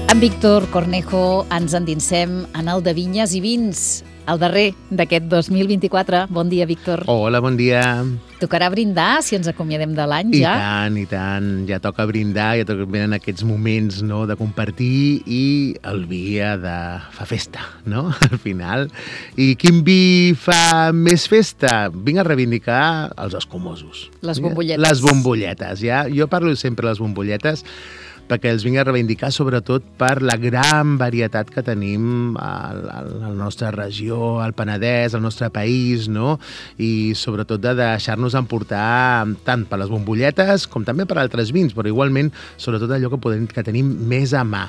Amb Víctor Cornejo ens endinsem en el de Vinyes i Vins, el darrer d'aquest 2024. Bon dia, Víctor. Hola, bon dia. Tocarà brindar si ens acomiadem de l'any ja? I tant. Ja toca brindar, ja toca venen aquests moments, no?, de compartir, i el vi fa festa, no?, al final. I quin vi fa més festa? Vinc a reivindicar els escumosos. Les bombolletes. Les bombolletes, ja. Jo parlo sempre de les bombolletes perquè els vinc a reivindicar sobretot per la gran varietat que tenim a la nostra regió, al Penedès, al nostre país, no? I sobretot de deixar-nos emportar tant per les bombolletes com també per altres vins, però igualment sobretot allò que tenim més a mà.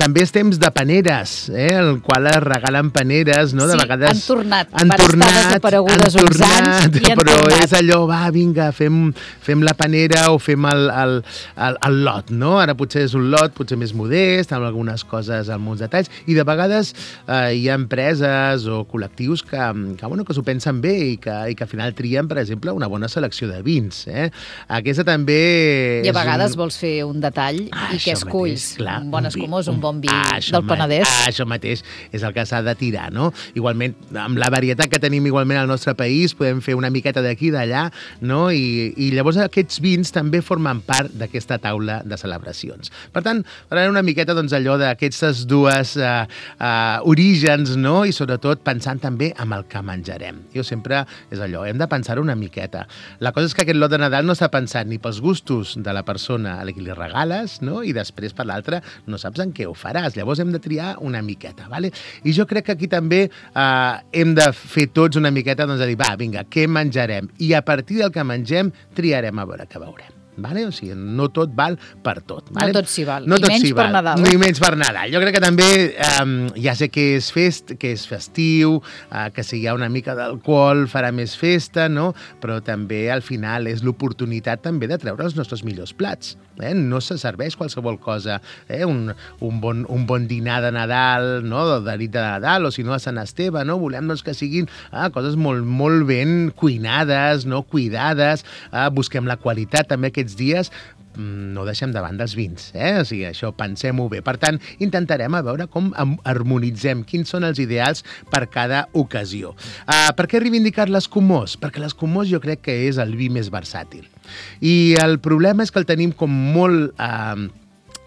També és temps de paneres, el qual es regalen paneres, no? De vegades han tornat desaparegudes uns anys i han però tornat. És allò, va, vinga, fem la panera o fem el lot, no? Ara potser és un lot potser més modest, amb algunes coses, amb uns detalls, i de vegades hi ha empreses o col·lectius que s'ho pensen bé i que al final trien, per exemple, una bona selecció de vins. Aquesta també... I a vegades vols fer un detall i què esculls? Clar, un bon escumós, un bon vi del Penedès. Això mateix és el que s'ha de tirar, no? Igualment, amb la varietat que tenim igualment al nostre país, podem fer una miqueta d'aquí i d'allà, no? I llavors aquests vins també formen part d'aquesta taula de celebracions. Per tant, parlarem una miqueta allò d'aquestes dues orígens, no? I sobretot pensant també en el que menjarem. Jo sempre és allò, hem de pensar una miqueta. La cosa és que aquest lot de Nadal no s'ha pensat ni pels gustos de la persona a la qui li regales, no? I després per l'altra no saps en què ho faràs. Llavors hem de triar una miqueta, ¿vale? I jo crec que aquí també hem de fer tots una miqueta, de dir, va, vinga, què menjarem? I a partir del que mengem triarem a veure què veurem. Vale? O sigui, no tot val per tot. Vale? No tot s'hi val, ni menys per Nadal. Ni menys per Nadal. Jo crec que també, ja sé que és festiu, que si hi ha una mica d'alcohol farà més festa, no? Però també al final és l'oportunitat també de treure els nostres millors plats. No se serveix qualsevol cosa. Un bon dinar de Nadal, no? De nit de Nadal, o si no a Sant Esteve, no? Volem que siguin coses molt, molt ben cuinades, no? Cuidades, busquem la qualitat també aquests dies, no deixem de banda els vins, o sigui, això pensem-ho bé. Per tant, intentarem a veure com harmonitzem, quins són els ideals per cada ocasió. Per què reivindicar l'escumós? Perquè l'escumós jo crec que és el vi més versàtil. I el problema és que el tenim com molt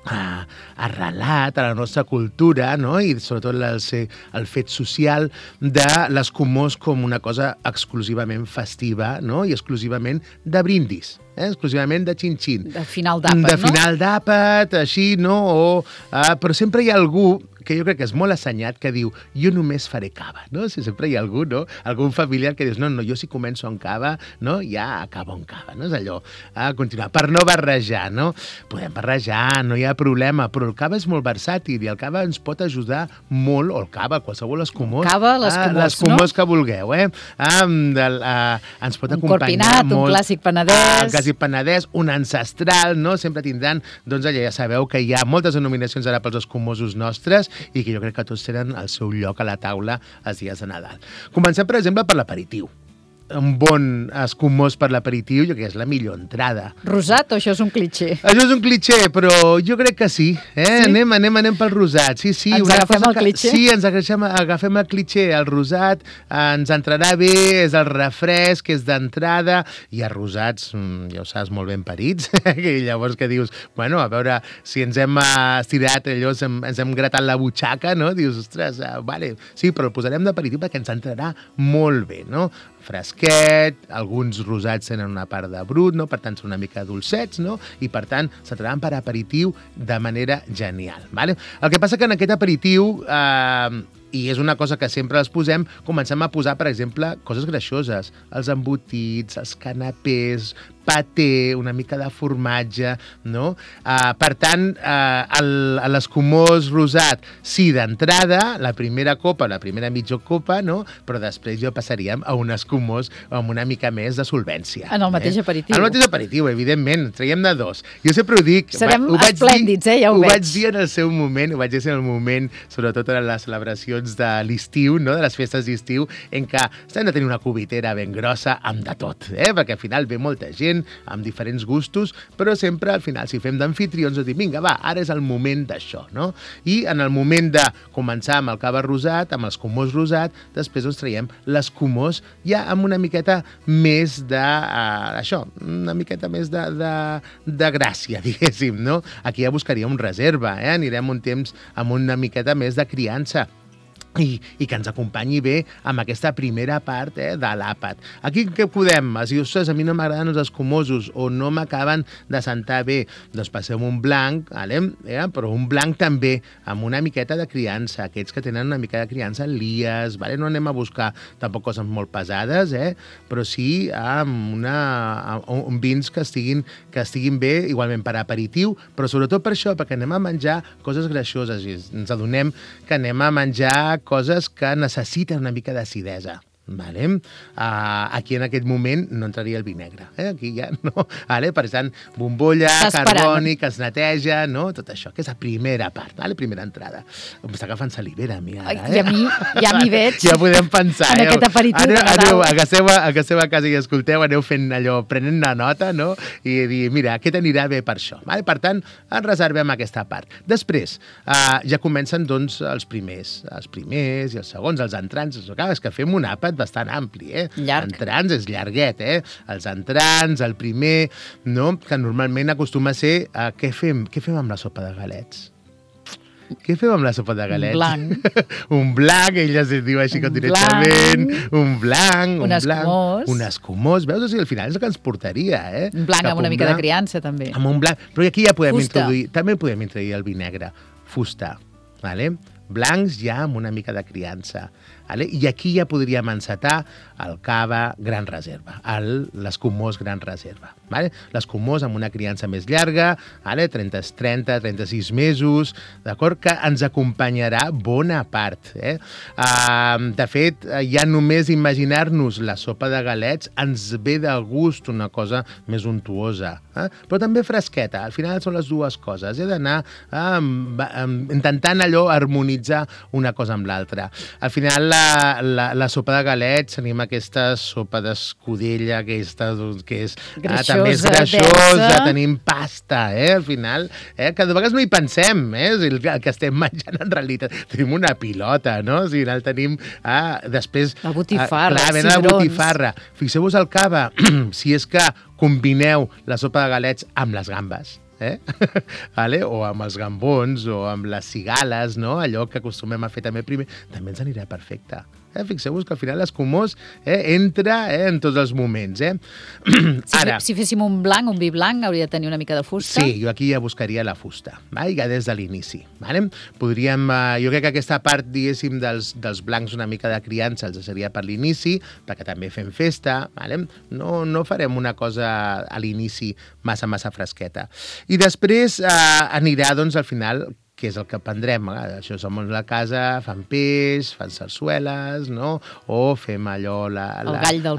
arrelat a la nostra cultura, no? I sobretot el fet social de l'escumós com una cosa exclusivament festiva, no? I exclusivament de brindis. Exclusivament de xin-xin. De final d'àpat, no? De final d'àpat, així, no? Però sempre hi ha algú que jo crec que és molt assenyat, que diu, jo només faré cava, no? Si sempre hi ha algú, no? Algun familiar que dius, no, jo si començo amb cava, no? Ja acabo amb cava, no? És allò, continuar, per no barrejar, no? Podem barrejar, no hi ha problema, però el cava és molt versàtil i el cava ens pot ajudar molt, o el cava, qualsevol escumós. Cava, l'escumós, no? L'escumós que vulgueu, ens pot acompanyar molt. Un corpinat, un clàssic penedès. Clàssic penedès, un ancestral, no? Sempre tindran, doncs allà ja sabeu que hi ha moltes denominacions ara pels escumosos nostres i que jo crec que tots tenen el seu lloc a la taula els dies de Nadal. Comencem, per exemple, per l'aperitiu. Un bon escumós per l'aperitiu, jo crec que és la millor entrada. Rosat o això és un clitxé? Això és un clitxé, però jo crec que sí. Sí? Anem pel rosat. Sí. Ens agafem el clitxé? Sí, ens agafem el clitxé. El rosat ens entrarà bé, és el refresc, és d'entrada. Hi ha rosats, ja ho saps, molt ben parits, i llavors que dius, bueno, a veure, si ens hem estirat allò, ens hem gratat la butxaca, no? Dius, ostres, vale, sí, però el posarem d'aperitiu perquè ens entrarà molt bé, no? Fresquet, alguns rosats tenen una part de brut, no? Per tant són una mica dolcets, no? I per tant s'entraran per aperitiu de manera genial, vale? El que passa que en aquest aperitiu, i és una cosa que sempre els posem, comencem a posar, per exemple, coses greixoses, els embotits, els canapés, paté, una mica de formatge, no? Per tant, l'escumós rosat, sí, d'entrada, la primera copa, la primera mitja copa, no? Però després jo passaríem a un escumós amb una mica més de solvència. En el mateix aperitiu. En el mateix aperitiu, evidentment, traiem de dos. Jo sempre ho dic... Serem esplèndids, ja ho veig. Ho vaig dir en el seu moment, sobretot en les celebracions de l'estiu, no? De les festes d'estiu, en què s'han de tenir una cubitera ben grossa amb de tot, perquè al final ve molta gent, gent, amb diferents gustos, però sempre al final, si fem d'anfitrions, dir, vinga, va, ara és el moment d'això, no? I en el moment de començar amb el cava rosat, amb l'escumós rosat, després ens traiem l'escumós ja amb una miqueta més de, això, una miqueta més de gràcia, diguéssim, no? Aquí ja buscaríem reserva, anirem un temps amb una miqueta més de criança. I que ens acompanyi bé amb aquesta primera part de l'àpat. Aquí què podem? Si ostres, a mi no m'agraden els escumosos o no m'acaben de sentar bé, doncs passem un blanc, però un blanc també amb una miqueta de criança. Aquests que tenen una mica de criança, lies, no anem a buscar tampoc coses molt pesades, però sí amb vins que estiguin bé, igualment per aperitiu, però sobretot per això, perquè anem a menjar coses greixoses i ens adonem que anem a menjar coses que necessiten una mica d'acidesa. Vale? Aquí en aquest moment no entraria el vi negre. Aquí ja no. Vale? Per tant, bombolla, carboni, que es neteja, no? Tot això, que és la primera part, vale? Primera entrada. M'està agafant salivera a mi ara. I a mi ja m'hi veig. Ja podem pensar. En aquest aperitiu de Nadal. Agasseu a casa i escolteu, aneu fent allò, prenent una nota, no? I dir, mira, aquest anirà bé per això. Vale? Per tant, ens reservem aquesta part. Després, ja comencen doncs els primers i els segons, els entrants. És que fem un àpat bastant ampli, Llarg. Entrants és llarguet, Els entrants, el primer, no? Que normalment acostuma a ser... Què fem amb la sopa de galets? Què fem amb la sopa de galets? Blanc. Un blanc, ella es diu així com directament. Un blanc. Un escumós. Veus? O sigui, al final és el que ens portaria, Un blanc amb una mica de criança, també. Amb un blanc. Però aquí ja podem introduir... També podem introduir el vi negre. Fusta, vale? Blancs ja amb una mica de criança. Vale? I aquí ja podríem encetar el cava Gran Reserva, l'escumós Gran Reserva. Vale? L'escumós amb una criança més llarga, vale? 30-36 mesos, d'acord? Que ens acompanyarà bona part. De fet, ja només imaginar-nos la sopa de galets ens ve de gust una cosa més untuosa, però també fresqueta. Al final són les dues coses. He d'anar intentant allò harmonitzar una cosa amb l'altra. Al final, la sopa de galets, tenim aquesta sopa d'escudella, que és també és greixosa, tenim pasta, al final, que de vegades no hi pensem, el que estem menjant en realitat. Tenim una pilota, no? O sigui, el tenim després... La botifarra, la botifarra. Fixeu-vos el cava, si és que combineu la sopa de galets amb les gambes, vale? O amb els gambons o amb les cigales, no? Allò que acostumem a fer també primer, també ens anirà perfecte. Fixeu-vos que al final l'escumós entra en tots els moments. Ara, si féssim un vi blanc, hauria de tenir una mica de fusta? Sí, jo aquí ja buscaria la fusta, ja des de l'inici. Podríem, jo crec que aquesta part, diguéssim, dels blancs una mica de criança els seria per l'inici, perquè també fem festa. No farem una cosa a l'inici massa fresqueta. I després anirà, doncs, al final, que és el que prendrem. Això som a la casa, fan peix, fan sarsueles, no? O fem allò... El gall del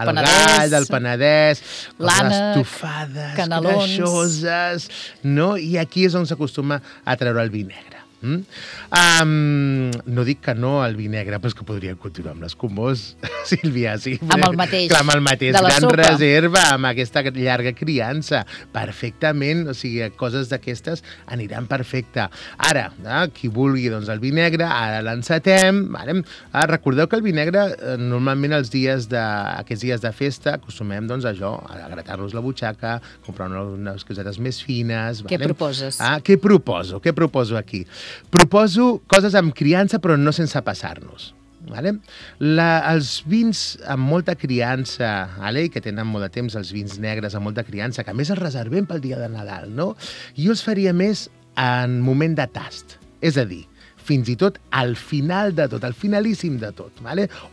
Penedès, l'ànec, estofades, canelons, greixoses, no? I aquí és on s'acostuma a treure el vi negre. No dic que no al vi negre, però és que podríem continuar amb l'escumós, Sílvia. Sí, amb el mateix. Amb el mateix. Gran Reserva, amb aquesta llarga criança. Perfectament, o sigui, coses d'aquestes aniran perfecte. Ara, qui vulgui doncs, el vi negre, ara l'encetem. Recordeu que el vi negre, normalment aquests dies de festa, acostumem doncs, a gratar-nos la butxaca, comprar unes cosetes més fines. Què proposes? Què proposo aquí? Proposo coses amb criança, però no sense passar-nos. Els vins amb molta criança, i que tenen molt de temps, els vins negres amb molta criança, que a més els reservem pel dia de Nadal, no? Jo els faria més en moment de tast. És a dir, fins i tot al final de tot, al finalíssim de tot,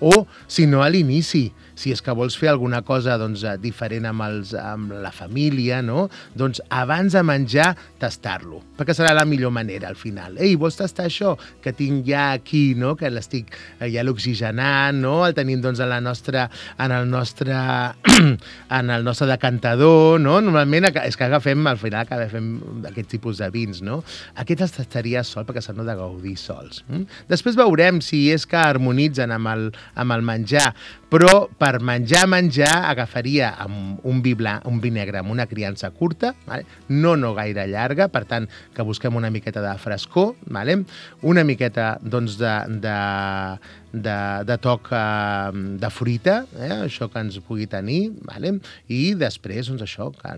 o, si no, a l'inici. Si és que vols fer alguna cosa diferent amb la família, no? Doncs abans de menjar, tastar-lo, perquè serà la millor manera al final. Ei, vols tastar això? Que tinc ja aquí, no? Que l'estic ja l'oxigenant, no? El tenim en el nostre decantador, no? Normalment és que al final agafem aquest tipus de vins, no? Aquest els tastaria sol perquè s'han de gaudir sols. Després veurem si és que harmonitzen amb el menjar, però per per menjar, agafaria amb un vi blanc, un vi negre amb una criança curta, vale? No gaire llarga, per tant, que busquem una miqueta de frescor, vale? Una miqueta, doncs, de toc de fruita, això que ens pugui tenir, vale? I després, doncs, això, que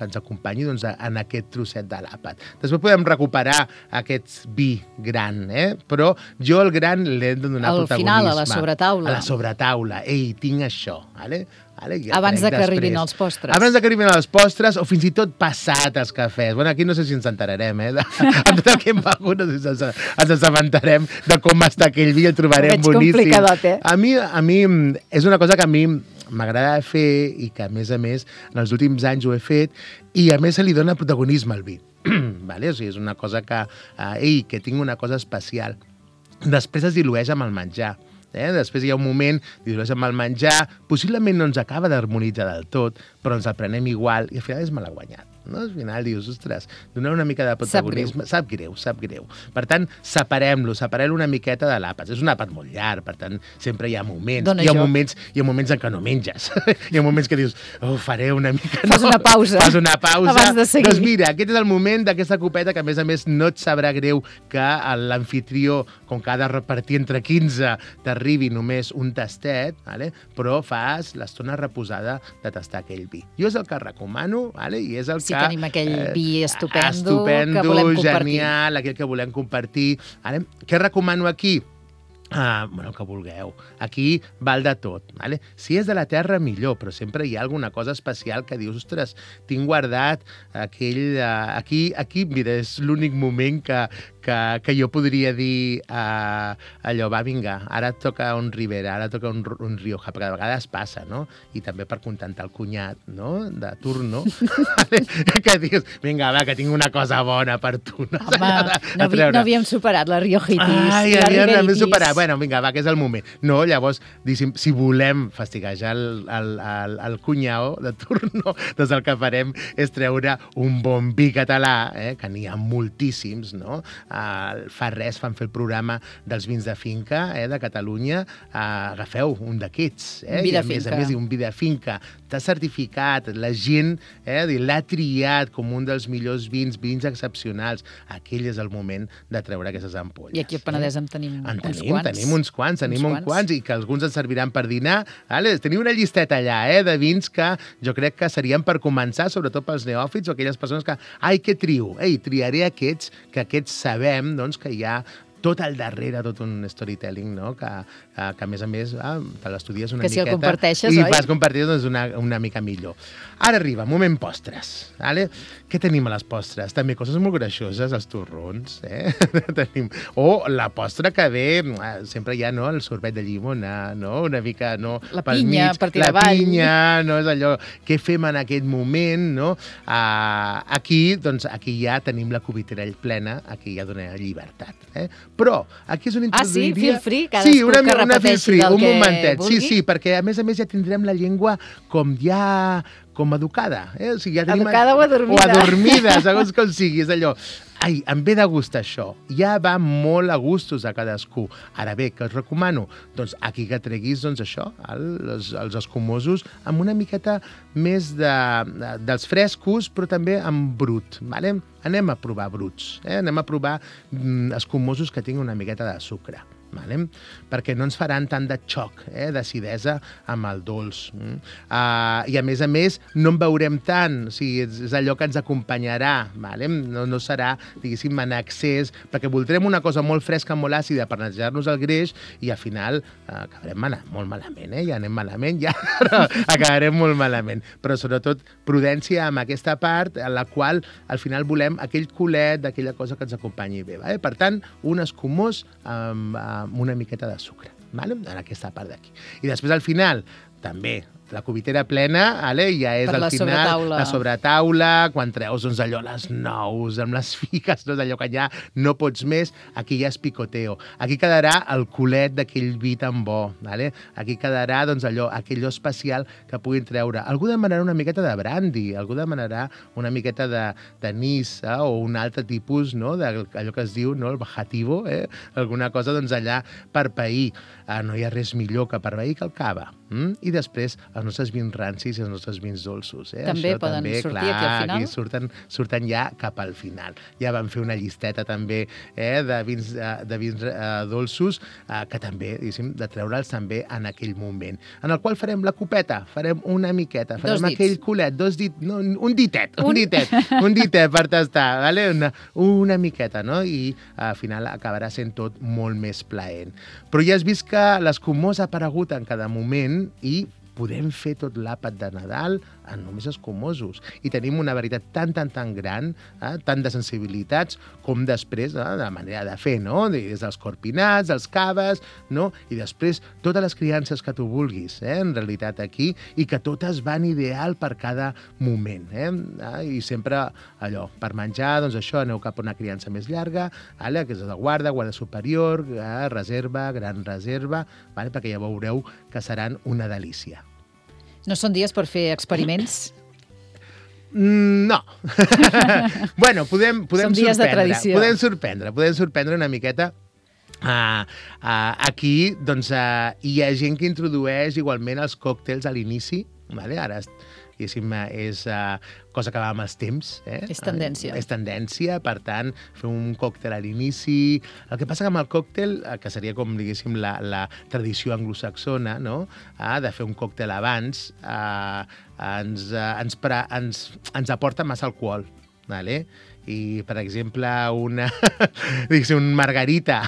ens acompanyi doncs, en aquest trosset de l'àpat. Després podem recuperar aquest vi gran, però jo el gran l'he de donar protagonisme. Al final, a la sobretaula. A la sobretaula. Ei, tinc això, vale? Abans de que arribin els postres. Abans de que arribin els postres, o fins i tot passat els cafès. Bueno, aquí no sé si ens enterarem, amb tot el que hem begut, no sé si ens assabentarem de com està aquell vi, el trobarem boníssim. Complicadot, A mi és una cosa que a mi m'agrada fer i que, a més, en els últims anys ho he fet i, a més, se li dona protagonisme al vi. Vale? O sigui, és una cosa que tinc una cosa especial. Després es dilueix amb el menjar. Després hi ha un moment, dilueix amb el menjar, possiblement no ens acaba d'harmonitzar del tot, però ens el prenem igual i al final és malaguanyat. No? Al final dius, ostres, donar una mica de protagonisme... Sap greu. Per tant, separem una miqueta de l'àpat. És un àpat molt llarg, per tant, sempre hi ha moments. Hi ha moments en què no menges. Hi ha moments que dius, faré una mica... Fas una pausa. Abans de seguir. Doncs mira, aquest és el moment d'aquesta copeta que, a més, no et sabrà greu que l'anfitrió, com que ha de repartir entre 15, t'arribi només un tastet, vale? Però fas l'estona reposada de tastar aquell vi. Jo és el que recomano, vale? I és el que tenim aquell vi estupendo que volem compartir. Genial, aquell que volem compartir. Ara, què recomano aquí? El que vulgueu. Aquí val de tot. Vale? Si és de la terra, millor, però sempre hi ha alguna cosa especial que dius, ostres, tinc guardat aquell... Aquí, mira, és l'únic moment que jo podria dir allò, va, vinga, ara et toca un Ribera, ara et toca un Rioja, perquè de vegades passa, no? I també per contentar el cunyat, no?, de turno, que dius, vinga, va, que tinc una cosa bona per tu. Home, no havíem superat la riojitis, la riberitis. Bueno, vinga, va, que és el moment. No, llavors, si volem fastiguejar el cunyao de turno, doncs el que farem és treure un bon vi català, que n'hi ha moltíssims, no?, fa res fan fer el programa dels vins de finca de Catalunya, agafeu un d'aquests, i a més un vi de finca, està certificat, la gent l'ha triat com un dels millors vins excepcionals. Aquell és el moment de treure aquestes ampolles. I aquí al Penedès en tenim uns quants. Tenim uns quants, i que alguns ens serviran per dinar. Teniu una llisteta allà de vins que jo crec que serien per començar, sobretot pels neòfits o aquelles persones que, què trio? Triaré aquests, que aquests sabem que hi ha tot al darrere, tot un storytelling, no? Que a més, te l'estudies una miqueta... Que si el comparteixes, oi? I vas compartir-ho una mica millor. Ara arriba, moment postres. Vale? Què tenim a les postres? També coses molt greixoses, els torrons. Tenim... O la postre que ve, sempre hi ha el sorbet de llimona, no? Una mica... La pinya, per tirar avall. La pinya, no? És allò... Què fem en aquest moment, no? Aquí ja tenim la cubitera plena, aquí ja dona llibertat. Però aquí és on introduiria... sí? Feel free? Cadascú que repeteixi del que vulgui? Sí, perquè a més ja tindrem la llengua com educada. O sigui, ja tenim... Educada o adormida. O adormida, segons com sigui. És allò... em ve de gust això. Ja va molt a gustos a cadascú. Ara bé, què us recomano? Doncs aquí que treguis, això, els escumosos, amb una miqueta més dels frescos, però també amb brut. Vale? Anem a provar bruts. Anem a provar escumosos que tinguin una miqueta de sucre. Vale? Perquè no ens faran tant de xoc d'acidesa amb el dolç. I a més, no en veurem tant, o sigui, és allò que ens acompanyarà, vale? No serà, diguéssim, en excés, perquè voldrem una cosa molt fresca, molt àcida per netejar-nos el greix i al final acabarem molt malament, ja anem malament, ja acabarem molt malament. Però sobretot prudència amb aquesta part en la qual al final volem aquell culet d'aquella cosa que ens acompanyi bé. Vale? Per tant, un escumós amb una miqueta de sucre, vale? En aquesta part d'aquí. I després, al final, també la cubitera plena, ja és Per al la final sobretaula. la sobretaula, quan treus doncs, allò les nous, amb les figues, doncs, allò que ja no pots més, aquí ja és picoteo. Aquí quedarà el culet d'aquell vi tan bo. Aquí quedarà doncs, aquell especial que puguin treure. Algú demanarà una miqueta de brandy, algú demanarà una miqueta d'anís o un altre tipus, no? Allò que es diu, no? El bajativo, alguna cosa doncs, allà per pair. No hi ha res millor que per pair que el cava. I després els nostres vins rancis i els nostres vins dolços. També Això poden sortir aquí al final? Aquí surten ja cap al final. Ja vam fer una llisteta també de vins dolços que també, diguéssim, de treure'ls també en aquell moment. En el qual farem la copeta, farem una miqueta, farem aquell culet, un ditet per tastar, una miqueta, no? I al final acabarà sent tot molt més plaent. Però ja has vist que l'escumós ha aparegut en cada moment i podem fer tot l'àpat de Nadal en només escumosos. I tenim una varietat tan gran, tant de sensibilitats, com després de la manera de fer, no? Des dels corpinats, dels caves, no? I després totes les criances que tu vulguis, en realitat aquí, i que totes van ideal per cada moment. I sempre allò, per menjar, doncs això, aneu cap a una criança més llarga, que és la guarda superior, reserva, gran reserva, perquè ja veureu que seran una delícia. No són dies per fer experiments? No. Bueno, podem són dies de tradició. Podem sorprendre una miqueta. Aquí doncs, hi ha gent que introdueix igualment els còctels a l'inici. Ara és cosa que va amb els temps. És tendència. És tendència, per tant, fer un còctel a l'inici. El que passa que amb el còctel, que seria com, diguéssim, la tradició anglosaxona, no? De fer un còctel abans, ens aporta massa alcohol. I, per exemple, un margarita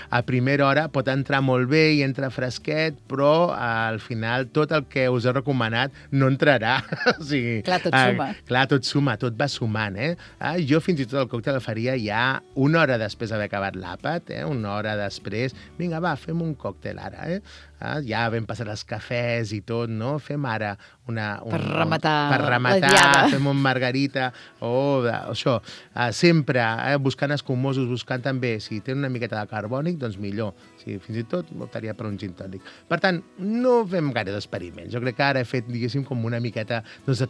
a primera hora pot entrar molt bé i entra fresquet, però al final tot el que us he recomanat no entrarà. Clar, tot suma. Clar, tot suma, tot va sumant. Jo fins i tot el còctel el faria ja una hora després d'haver acabat l'àpat, una hora després. Vinga, va, fem un còctel ara. Ja vam passar els cafès i tot, no? Fem ara per rematar fem un margarita o això. Sempre buscant escumosos, buscant també, si tenen una miqueta de carbònic, doncs millor. Fins i tot optaria per un gin tònic. Per tant, no fem gaire d'experiments. Jo crec que ara he fet, diguéssim, com una miqueta de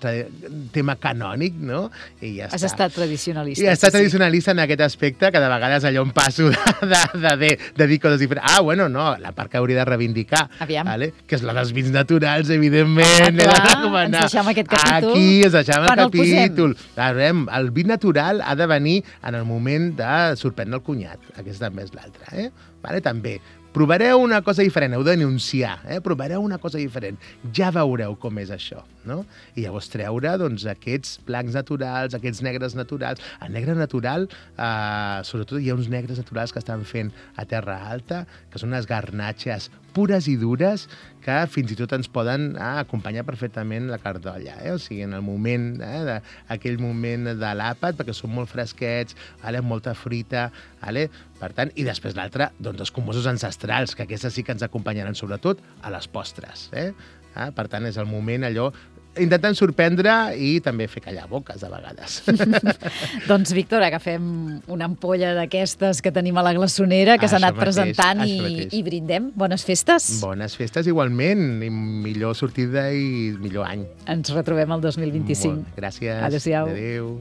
tema canònic, no? I ja està. Has estat tradicionalista. I he estat tradicionalista en aquest aspecte, que de vegades allò em passo de dir coses diferents. Bueno, no, la part que hauria de reivindicar, que és la dels vins naturals, evidentment. Ens deixem aquest capítol. Aquí ens deixem el capítol. El vi natural ha de venir en el moment de sorprendre el cunyat. Aquesta també és l'altra. També. Provareu una cosa diferent, heu de denunciar, provareu una cosa diferent, ja veureu com és això, no? I llavors treure doncs, aquests blancs naturals, aquests negres naturals. El negre natural, sobretot hi ha uns negres naturals que estan fent a Terra Alta, que són unes garnatxes pures i dures que fins i tot ens poden acompanyar perfectament la cardolla. O sigui, en el moment, aquell moment de l'àpat, perquè són molt fresquets, molta fruita, per tant, i després l'altre, doncs, els escumosos ancestrals, que aquestes sí que ens acompanyaran sobretot a les postres. Per tant, és el moment allò intentant sorprendre i també fer callar boques a vegades. Doncs, Víctor, agafem una ampolla d'aquestes que tenim a la glaçonera, que s'ha anat presentant i brindem. Bones festes. Bones festes igualment, i millor sortida i millor any. Ens retrobem el 2025. Gràcies. Adéu-siau. Adéu.